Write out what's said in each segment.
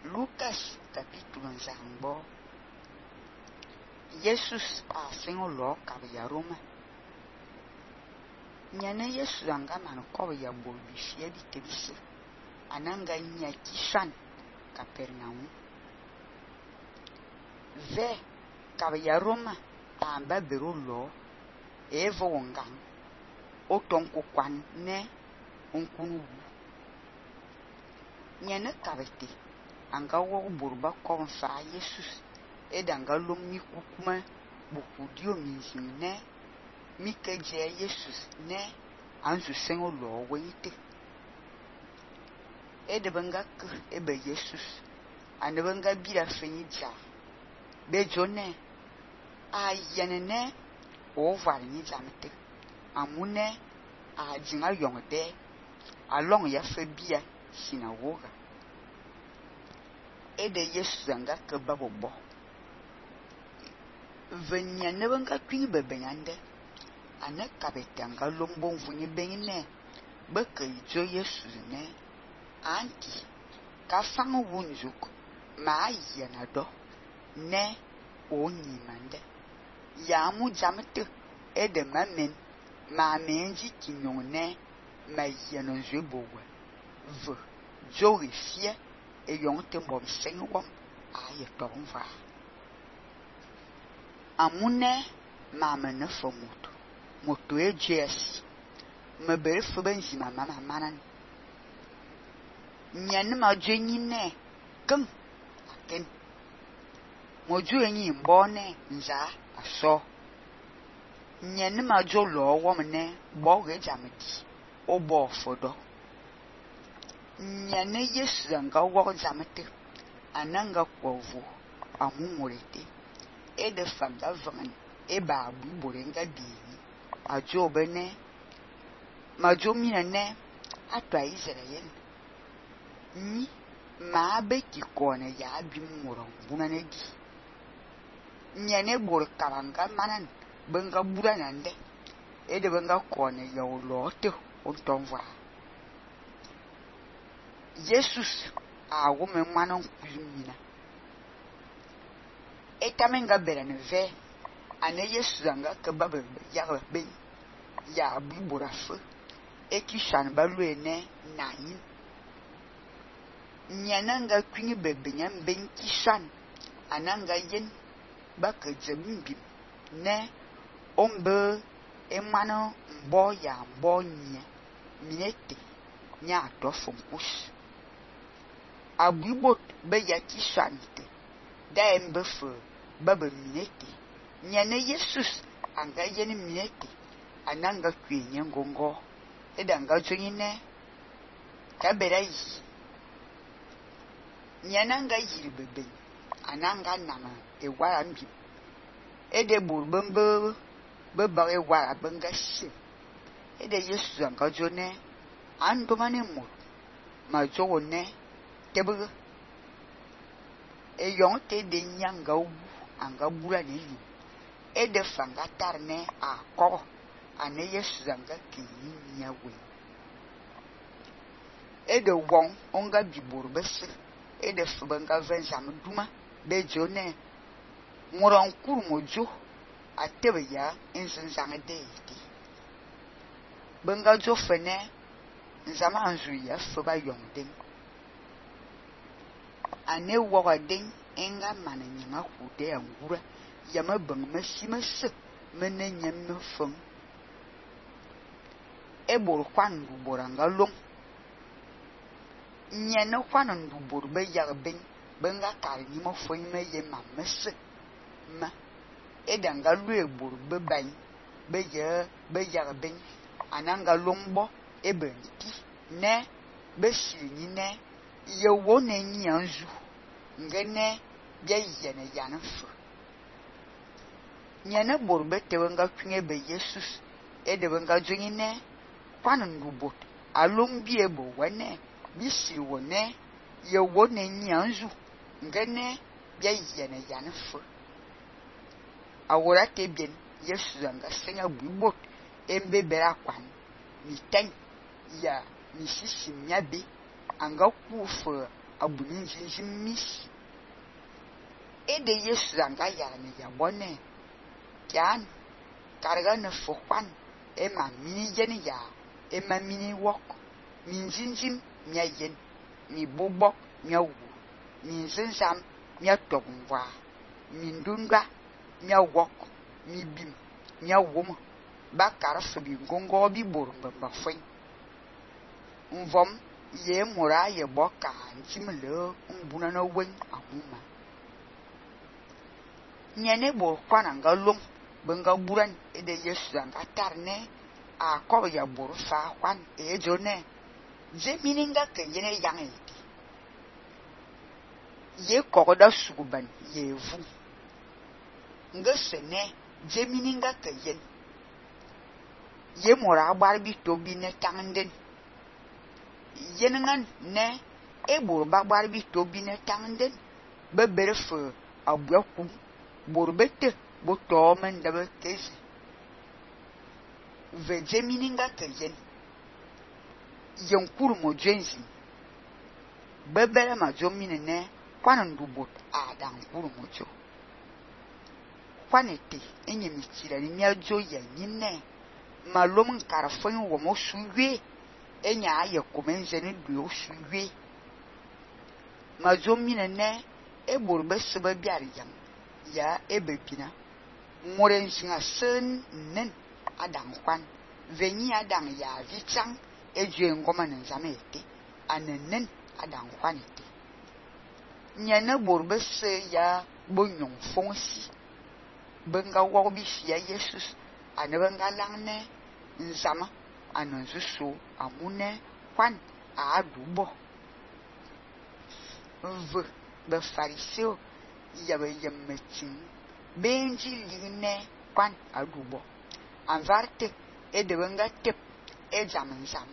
Lucas capítulo nzambo. Jesus a sengo lo kabya Roma. Nyane Jesus anga man ko ya bo bifie bi tebise. Ananga nya kishan Capernaum. Ve kabya Roma amba bero lo evo wongang. Otonko kwan ne onkunu. Nyane kabete anga wo burba konfa Jesus edanga lomi kukuma bukudio minzine mikeje Jesus ne anzu sengo lo wente edebanga k ebe Jesus anebanga bira fenija bejone ayenene ovar ni jamete amune a jinga yongde along ya febia sinagoga ede Jesus anga ke babobo venya nebanga twin bebenyande ane kabetanga lombo mvunye benine beke ijo Jesus ne anti ka fangu wunjuk ma yana do ne onyi mande ya mu jamete ede mamen ma menji kinyon ne ma yana jebowe v jowe fie e yonte mbom senwom aye tonva amune mama ne fo moto ejes me bere fo benji mama manan nyen ma jenyi ne ken aken moju enyi mbone nza aso nyen ma jo lo wo mne bo ge jamedi obo fodo nyane Yesu anga wo jamete ananga kwovu amumurete ede fanga vangan eba abu borenga bi ajo bene majo minane atwa Israel ni ma beki kone ya bi muro bunane di nyane bor karanga manan benga buranande ede benga kone ya olote ontonva Jesus a woman manon kulmina etamenga berane ve ane Jesus anga kebabe ya be ya biborafe ekishan baluene nayin nyananga kwini bebenyam ben kishan ananga yen baka jembi ne ombe emano mbo ya mbo nye minete nya to fonkus abibot be ya kishanite da embefe baba minete nyane Jesus anga yeni minete ananga kwenye ngongo edanga jonyine kaberai nyananga yiribebe ananga nama ewara mbi ede burbembe beba ewara benga shi ede Jesus anga jone andomane mo ma jone tebe eyonte de nyanga u anga bura ni ede fanga tarne akọ ane Jesus anga kinyi nyawe ede won onga biburu bese ede fubanga venzam duma bejone muron kurmojo atebe ya inzanzange deiti benga jo fene nzama anzu ya fuba yongden ane wogaden enga mananyanga kude angura yama bang masimase menanyam fong ebor kwandu boranga long nyene kwandu borbe yarben benga kalni mo foyime ye mamese ma edanga lue borbe ban be yarben ananga longbo ebenti ne besini ne yewo ne nyanzu ngene bia yene yanfu nyene borbe tewenga kwinge be Jesus edewenga jonyine kwandu bot alombi ebo wane bisi wone yewo ne nyanzu ngene bia yene yanfu awora tebien Jesus anga senga bubot embe bera kwan mi ten ya mi sisi nyabe anga kufu abunin jinjimis. Ede Yesu anga yara ne yabone. Kian karga ne fokwan ema mini yen ya ema mini wok min jinjim mia yen mi bobok mia wu min zinzam mia togwa min dundwa mia wok mi bim mia woma ba karfa bi gongo bi borumba ba fwen mvom ye mura ye boka ntimle mbuna na wen amuma nyane bo kwana ngalum benga buran ede Yesu anga tarne a ko ya buru fa kwan e jone je mininga ke yene yang eti ye ko da suguban ye vu ngesene je mininga ke yen ye mora bar bi to bi ne tangden yenengan ne e buru ba bar bi to bi ne tangden be berfe abwaku buru bete bo to men da be kezi ve je mininga ke yen yankuru mo jenzi bebere ma jo minene kwanan dubot adan kuru mo jo kwanete enye mitira ni nyajo ya nyine malom karafon wo mo suwe enya aye komenze ni duo suwe ma jo minene e borbe sebe biar ya ebepina moren singa sen nen adan kwan venyi adan ya vichang ejue ngoma nzamete anenen adan kwanete nyane borbe se ya bonyon fonsi benga wobi fia Jesus anebenga langne nzama anonzuso amune kwan adubo ve be fariseo yabe yemetin benji ligne kwan adubo anvarte edebenga tep ejamnzam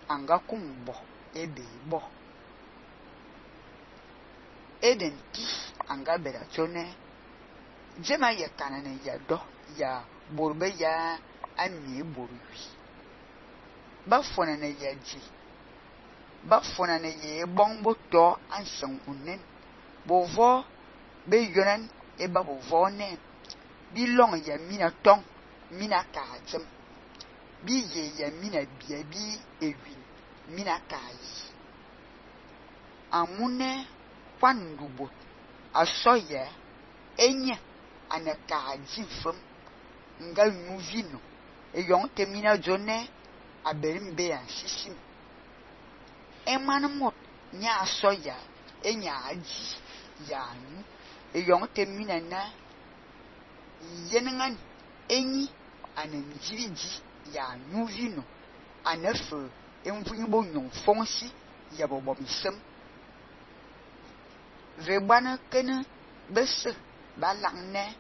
anga kumbo ebe bo eden ti anga beratone jema ye kanane ya do ya borbe ya ami borwi ba fona ne ya ji ba fona ne ye bongbo to ansan unen bovo be yonan e ba bovo ne bi long ya mina tong mina ka jem bi ye ya mina bia bi ewi mina kai amune kwandubo asoye enye anaka jifum nga nyuvino eyon temina jone aberimbe ya sisim emanmot nya asoya enya aji ya nu eyon temina na yenengan enyi anenjiriji ya nyuvino anefe envunyibo nyon fonsi ya bobomisem vebana kene bese balangne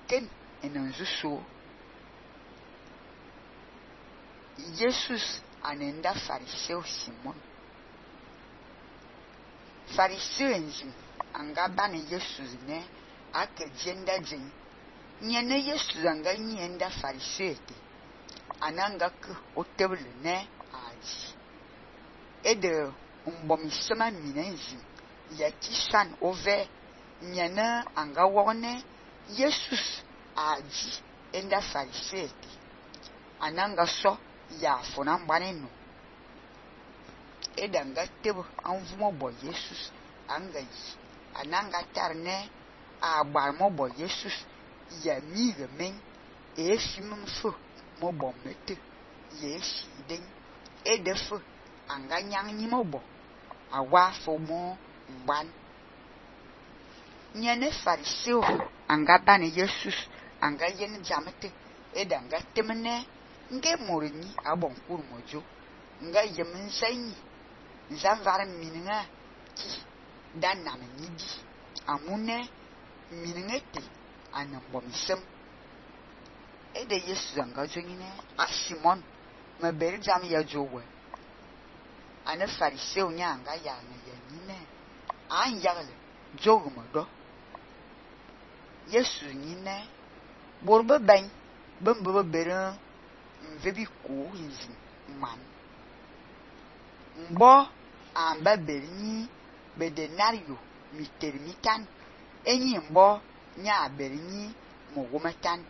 ken enenzuso Jesus anenda fariseo Simon fariseo enzi anga bani Jesus ne ake jenda jin nyene Jesus anga nyenda fariseo te ananga ke otebule ne aji ede mbomisema minenzi ya tisan ove nyene anga wone Jesus aji enda fariseo te ananga so ya fona mbanenu edanga tebo anvumo bo Jesus anga yi ananga tarne agbar mo bo Jesus ya mi remen e fimum fo mo bo mete ye shiden edefo anga nyang ni mo bo awa fo mo mban nyane fariseo anga bani Jesus anga yen jamete edanga temene nge morini abon kurmojo nga yemin sanyi nzanvar mininga ki dan na menidi amune miningete anambomsem ede Yesu anga jongine a Simon mabere jam ya jowe ana fariseo nya anga ya na yanyine an yagle jogumodo Yesu nyine borbe ban bembe bere mvebi ko hizi man mbo amba berni bedenario mitermitan enyi mbo nya berini mogumatan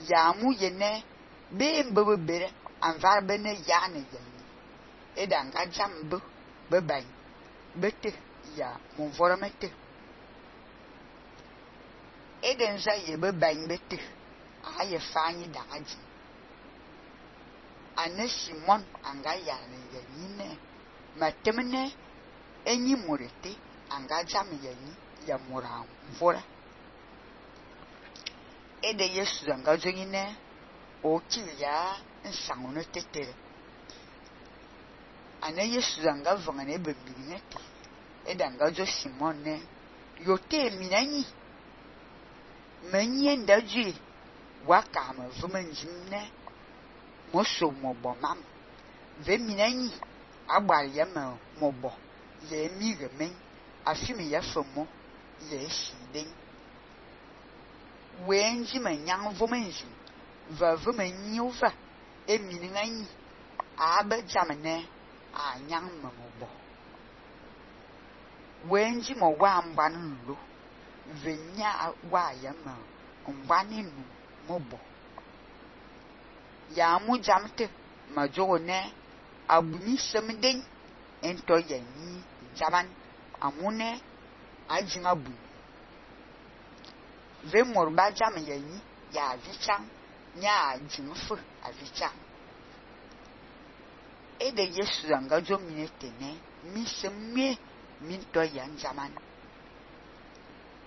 ya mu yene be mbo bere anvar bene yane yani edanga jambu bebai bete ya monvoramete eden za ye bebai bete aye fanyi dagaji ane Simon anga yane yani matemne enyi murete anga jam yani ya mura mvora ede Yesu anga jongine o kiya nsangono tetere ane Yesu anga vangane bebirinete ede anga jo Simon ne yote minanyi menye ndajui waka ma vumenjimne moso mobo mam ve minanyi agbar yema mobo ye mi remen afimi ya fomo ye shiden wenji manyang vumenji va vumenyi uva emininganyi abe jamne anyang mobo wenji mo wa mbanu lo venya wa yema mbani nu mobo ya mu jamte majone abuni semden ento yani jaban amune ajinga bu ve morba jam yani ya vichang nya jinfu avichang ede Yesu anga jo minetene mi semme min to yan jaman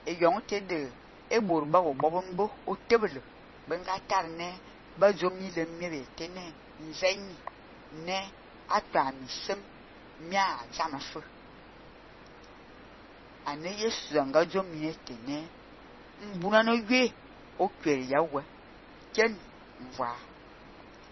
e yonte de e borba wo bobombo o tebele benga tarne ba jo mi le mire tene nzenyi ne atwa mi sem mia jamafu ane Yesu anga jo minetene mbuna no gwe o kwere yawe ken mva